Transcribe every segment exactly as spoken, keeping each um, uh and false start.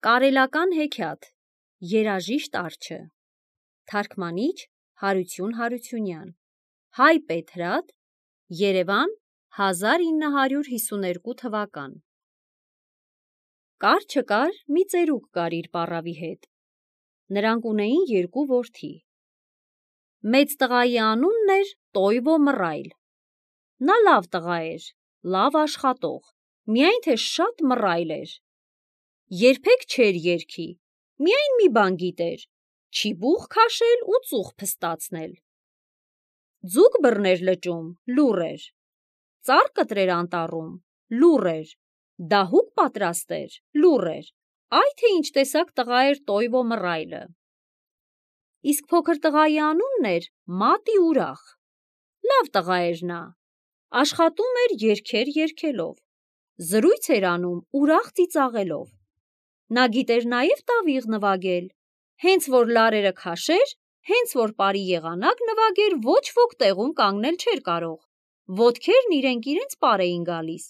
Կարելական հեքիաթ, երաժիշտ արջը, թարգմանիչ Հարություն Հարությունյան, Հայ Պետրատ, Երևան, հազար ինը հարյուր հիսուներկու թվական։ Կար չկար մի ծերուկ կար իր պառավի հետ։ Նրանք ունեին երկու որդի։ Մեծ տղայի անունն էր Տոյվո Մռայլ։ Նա լավ տղա էր, լավ աշխատող, միայն թե շատ մռայլ էր։ Երբեք չէր երգի, միայն մի բան գիտեր՝ չիբուխ քաշել ու ծուխ փստացնել։ Ձուկ բռներ լճում, լուռ էր։ Ծառ կտրեր անտառում, լուռ էր։ Դահուկ պատրաստեր, լուռ էր։ Այ թե ինչ տեսակ տղա էր Տոյվո Մռայլը։ Իսկ փոքր տղայի անունն էր Մատի ուրախ։ Լավ տղա էր նա, աշխատում էր երգեր երգելով, զրույց էր անում ուրախ ծիծաղելով։ Նա գիտեր նաև տավիղ նվագել, հենց որ լարերը քաշեր, հենց որ պարի եղանակ նվագեր, ոչ ոք տեղում կանգնել չէր կարող, ոտքերն իրենք իրենց պար էին գալիս։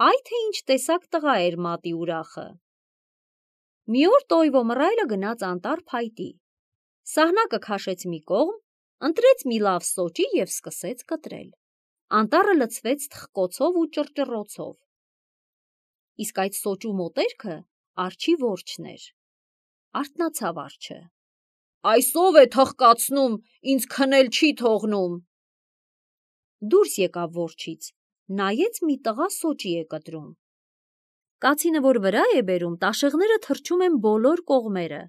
Այ թե ինչ տեսակ տղա էր Մատի ուրախը։ Մի օր Տոյվո Մռայլը գնաց անտառ փայտի, սահնակը քաշեց մի կողմ, ընտրեց մի լավ սոճի և սկսեց կտրել։ Անտառը լցվեց թխկոցով ու ճռճռոցով։ Իսկ այդ սոճու մոտերքը արջի որջն էր։ Արթնացավ արջը։ «Այս ով է թխկացնում, ինձ քնել չի թողնում»։ Դուրս եկավ որջից, նայեց մի տղա սոճի է կտրում։ Կացինը, որ վրա է բերում, տաշեղները թռչում են բոլոր կողմերը։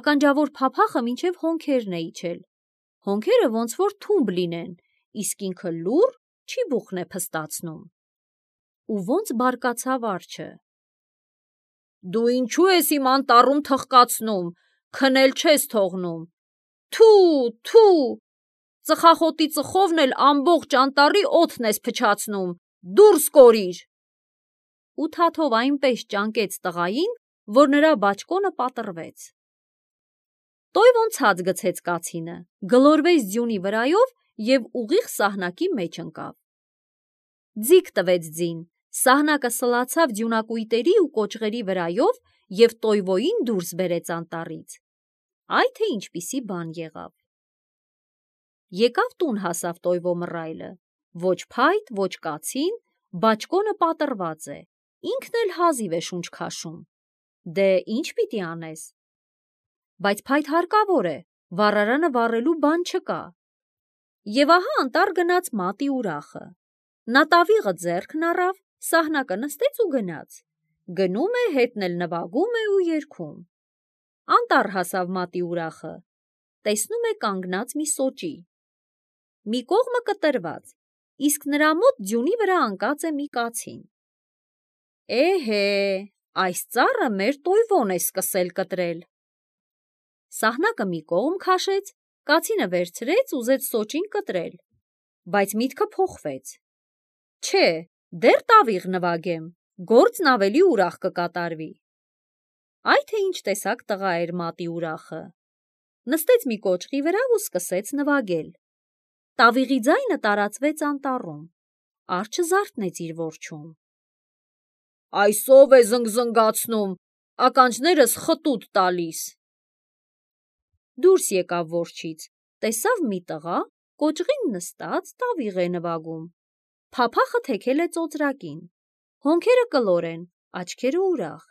Ականջավոր փափախը մինչև հոնքերն է իջել։ Հոնքերը ոնց որ թումբ լինեն, իսկ ինքը լուռ չիբուխն է փստացնում։ Ու ոնց բարկացավ արջը։ «Դու ինչու ես իմ անտառում թխկացնում, քնել չես թողնում, թու, թու, ծխախոտի ծխովն էլ ամբողջ անտառի օդն ես փչացնում, դուրս կորիր»։ Ու թաթով այնպես ճանկեց տղային, որ նրա բաճկոնը պատռվեց։ Տոյվոն ցած գցեց կացինը, գլորվեց ձյունի վրայով և ուղիղ սահնակի մեջ ընկավ։ Ձիգ տվեց ձին, սահնակը սլացավ ձյունակույտերի ու կոճղերի վրայով և Տոյվոյին դուրս բերեց անտառից։ Այ թե ինչպիսի բան եղավ։ Եկավ տուն հասավ Տոյվո Մռայլը, ոչ փայտ, ոչ կացին, բաճկոնը պատռված է, ինքն էլ հազիվ է շունչ քաշում։ Դե ինչ պիտի անես։ Բայց փայտ հարկավոր է, վառարանը վառելու բան չկա։ Եվ ահա անտառ գնաց Մատի ուրախը։ Նա տավիղը ձեռքն առավ, սահնակը նստեց ու գնաց։ Գնում է, հետն էլ նվագում է ու երգում։ Անտառ հասավ Մատի ուրախը, տեսնում է կանգնած մի սոճի։ Մի կողմը կտրված, իսկ նրա մոտ ձյունի վրա ընկած է մի կացին։ Էհե, այս ծառը մեր Տոյվոն է սկսել կտրել։ Սահնակը մի կողմ քաշեց, կացինը վերցրեց, ուզեց սոճին կտրել, բայց միտքը փոխվեց։ Չէ, դեռ տավիղ նվագեմ, գործն ավելի ուրախ կկատարվի։ Այ թե ինչ տեսակ տղա էր Մատի ուրախը։ Նստեց մի կոճղի վրա ու սկսեց նվագել։ Տավիղի ձայնը տարածվեց անտառում։ Արջը զարթնեց իր որջում։ «Այս ով է զնգզնգացնում, ականջներս խտուտ տալիս»։ Դուրս եկավ որջից, տեսավ մի տղա, կոճղին նստած տավիղ է նվագում, փափախը թեքել է ծոծրակին, հոնքերը կլոր են, աչքերը ուրախ,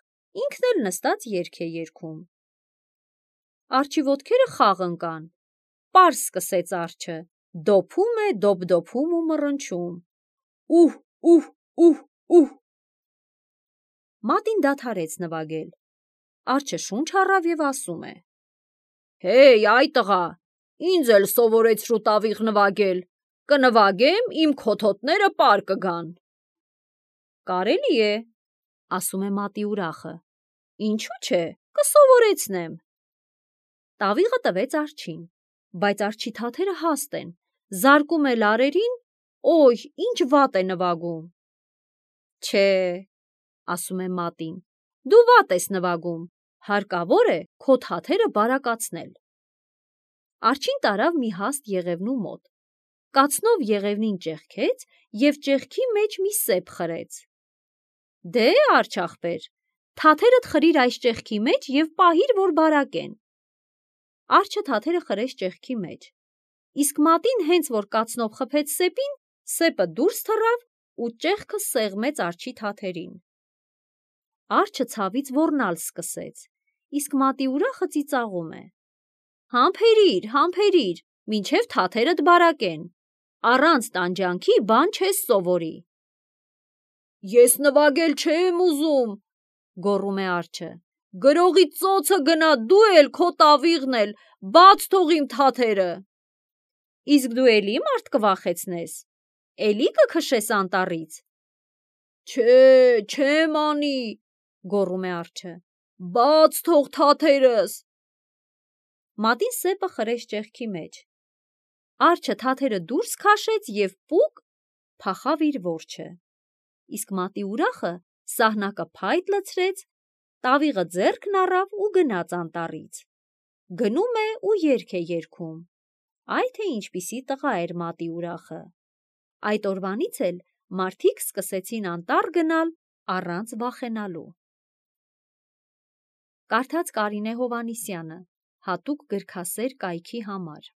ինքն էլ նստած երգ է երգում։ Արջի ոտքերը խաղ ընկան, պարզ սկսեց արջը, դոփում է, դոփ-դոփում ու մռնչում. «Ուհ, ուհ, ուհ, ուհ»։ Մատին դադարեց նվագել։ Արջը շունչ առավ և ասում է. «Հեյ, այ տղա, ինձ էլ սովորեցրու տավիղ նվագել, կնվագեմ, իմ քոթոտները պար կգան»։ «Կարելի է», ասում է Մատի ուրախը, «ինչու չէ, կսովորեցնեմ»։ Տավիղը տվեց արջին, բայց արջի թաթերը հաստ են, զարկում է լարերին, օյ, ինչ վատ է նվագում։ Չէ, ասում է Մատին, դու վատ ես նվագում, հարկավոր է քո թաթերը բարակացնել։ Արջին տարավ մի հաստ եղևնու մոտ, կացնով եղևնին ճեղքեց և ճեղքի մեջ մի սեպ խրեց։ Դե, արջ ախպեր, Թաթերդ խրիր այս ճեղքի մեջ և պահիր, որ բարակեն։ Արջը թաթերը խրեց ճեղքի մեջ, իսկ մատին հենց որ կացնով խփեց սեպին, սեպը դուրս թռավ ու ճեղքը սեղմեց արջի թաթերին։ Արջը ցավից ոռնալ սկսեց, իսկ մատի ուրախը ծիծաղում է. «Համբերիր, համբերիր, մինչև թաթերդ բարակեն, առանց տանջանքի բան չես սովորի»։ «Ես նվագել չեմ ուզում», գոռում է արջը, «գրողի ծոցը գնա, դու էլ քո տավիղն էլ, բաց թող իմ թաթերը»։ Իսկ դու էլի մարդ կվախեցնես, էլի կքշես անտառից։ Չէ, չեմ անի, գոռում է արջը, բաց թող թաթերս։ Մատին սեպը խրեց ճեղքի մեջ, արջը թաթերը դուրս քաշեց և պուկ փախավ իր որջը, իսկ մատի ուրախը սահնակը փայտ լցրեց, տավիղը ձեռքն առավ ու գնաց անտառից։ Գնում է ու երգ է երգում. այ թե ինչպիսի տղա էր մատի ուրախը։ Այդ օրվանից էլ մարդիկ սկսեցին անտառ գնալ առանց վախենալու։ Կարդաց Կարինե Հովհաննիսյանը, հատուկ գրքասեր կայքի համար։